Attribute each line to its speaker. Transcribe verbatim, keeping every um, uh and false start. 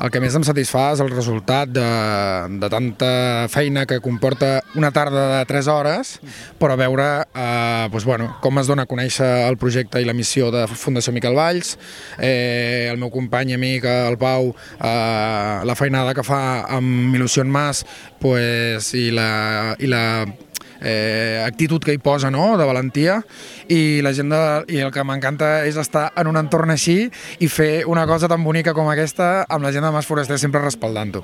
Speaker 1: el que més em satisfà és el resultat de, de tanta feina que comporta una tarda de tres hores, però veure eh, doncs, bueno, com es dona a conèixer el projecte i la missió de Fundació Miquel Valls, eh, el meu company i amic, el Pau, eh, la feinada que fa amb Il·lusió en Mas, pues, i la... I la Eh, actitud que hi posa, no?, de valentia, i la gent de, i el que m'encanta és estar en un entorn així i fer una cosa tan bonica com aquesta amb la gent de Mas Foraster sempre respaldant-ho.